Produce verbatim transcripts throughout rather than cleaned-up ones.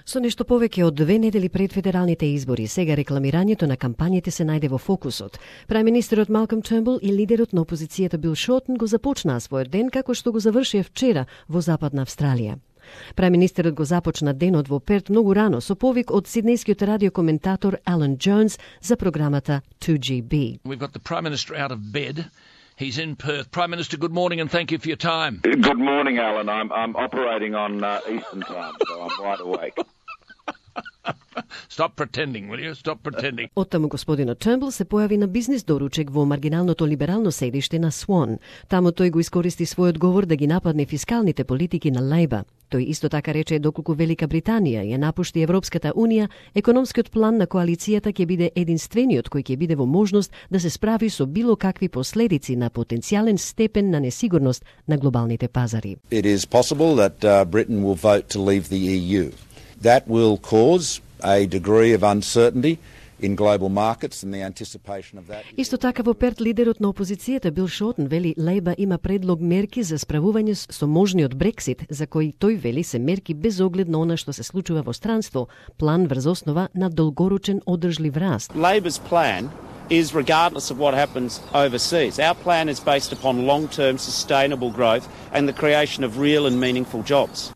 Со нешто повеќе од две недели пред федералните избори, сега рекламирањето на кампањите се најде во фокусот. Премиерот Малком Тернбул и лидерот на опозицијата Бил Шортон го започнаа својот ден како што го завршија вчера во Западна Австралија. Премиерот го започна денот во Перт многу рано со повик од сиднејскиот радиокоментатор Алан Джонс за програмата two G B. We've got the Prime Minister out of bed. He's in Perth. Prime Minister, good morning and thank you for your time. Good morning, Alan. I'm I'm operating on uh, Eastern time, so I'm wide awake. Stop pretending, will you? Stop pretending. Оттаму господинот Тернбул се појави на бизнис доручек во маргиналното либерално седиште на Свон. Таму тој го искористи својот говор да ги нападне фискалните политики на Лејба. Тој исто така рече доколку Велика Британија ја напушти Европската Унија, економскиот план на коалицијата ќе биде единствениот кој ќе биде во можност да се справи со било какви последици на потенцијален степен на несигурност на глобалните пазари. It is possible that uh, Britain will vote to leave the E U. That will cause a degree of uncertainty in global markets and the anticipation of that. Исто така во Перт лидерот на опозицијата Бил Шортон вели Лејба има предлог мерки за справување со можниот Брексит, за кои тој вели се мерки без оглед на она што се случува во странство, план врз основа на долгорочен одржлив раст. Labor's plan is regardless of what happens overseas. Our plan is based upon long-term sustainable growth and the creation of real and meaningful jobs.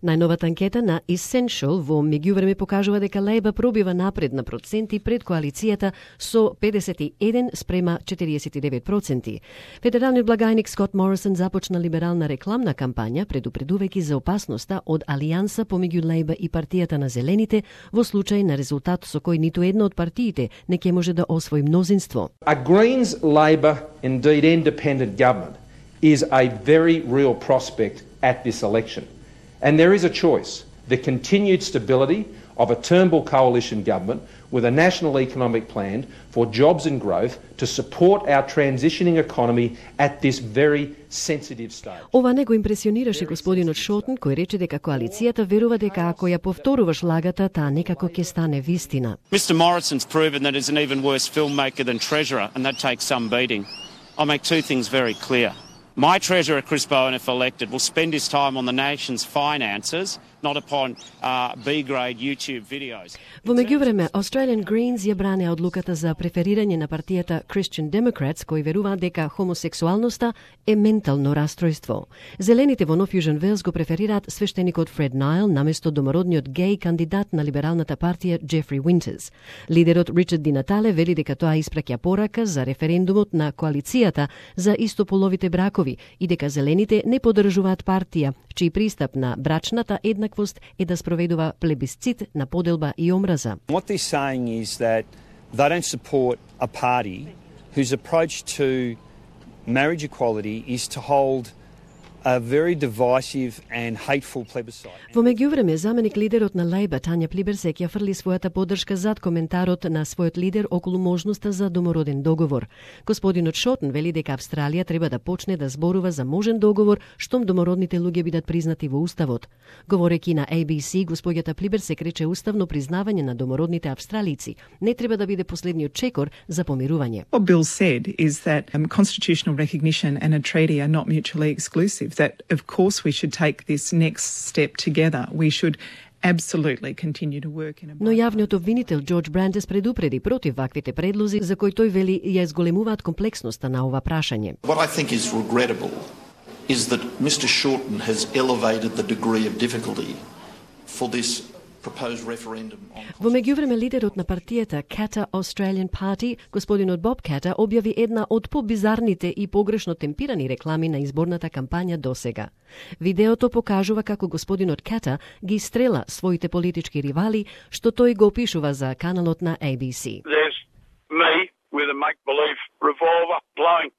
Најновата анкета на Essential во меѓувреме покажува дека Лејба пробива напред на проценти пред коалицијата со педесет и еден спрема четириесет и девет проценти. Федералниот благајник Скот Морисон започна либерална рекламна кампања предупредувајќи за опасноста од алијанса помеѓу Лејба и партијата на зелените во случај на резултат со кој ниту една од партиите не ќе може да освои мнозинство. A Greens, Labor, indeed independent government is a very real prospect at this election. And there is a choice, the continued stability of a Turnbull coalition government with a national economic plan for jobs and growth to support our transitioning economy at this very sensitive stage. Ова не го импресионираше господинот Шортон, кој рече дека коалицијата верува дека ако ја повторуваш лагата, таа некако ќе стане вистина. Mister Morrison's proven that he's an even worse filmmaker than Treasurer, and that takes some beating. I'll make two things very clear. My Treasurer, Chris Bowen, if elected, will spend his time on the nation's finances, not upon uh, B-grade YouTube videos. Во меѓувреме, Australian Greens ја бране одлуката за преферирање на партијата Christian Democrats, кои веруваат дека хомосексуалноста е ментално расстройство. Зелените во Нов Јужен Велс го преферираат свештеникот Фред Найл наместо домородниот геј кандидат на либералната партија Джефри Уинтерс. Лидерот Ричард Ди Натале вели дека тоа испраќа порака за референдумот на коалицијата за истополовите бракови и дека зелените не поддржуваат партија чиј пристап на брачната еднаквост е да спроведува плебисцит на поделба и омраза. What they're saying is that they don't support a party whose approach to marriage equality is to hold a very divisive and hateful plebiscite. Во меѓувреме, заменик лидерот на Лејба Тања Плиберсек ја фрли својата поддршка зад коментарот на својот лидер околу можноста за домороден договор. Господинот Шортон вели дека Австралија треба да почне да зборува за можен договор штом домородните луѓе бидат признати во уставот. Говорејќи на A B C, господјата Плиберсек рече уставно признавање на домородните австралици не треба да биде последниот чекор за помирување. What Bill said is that um, constitutional recognition and a treaty are not mutually exclusive. That, of course, we should take this next step together. We should absolutely continue to work in a... Но јавниот обвинител Џорџ Брандес предупреди против ваквите предлози за кои тој вели ја изголемуваат комплексноста на ова прашање. What I think is regrettable is that Mister Shorten has elevated the degree of difficulty for this proposed referendum. Во меѓувреме, лидерот на партијата Katter Australian Party, господинот Боб Ката, објави една од побизарните и погрешно темпирани реклами на изборната кампања досега. Видеото покажува како господинот Ката ги стрела своите политички ривали, што тој го опишува за каналот на A B C. There's me with a make-believe revolver blowing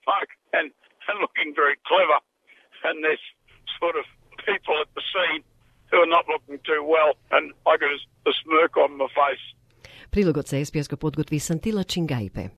smoke and, and looking very clever, and there's sort of people at the scene who are not looking too well, and I got a smirk on my face. Прилогот се ес пи ес го подготви Сантила Чингајпе.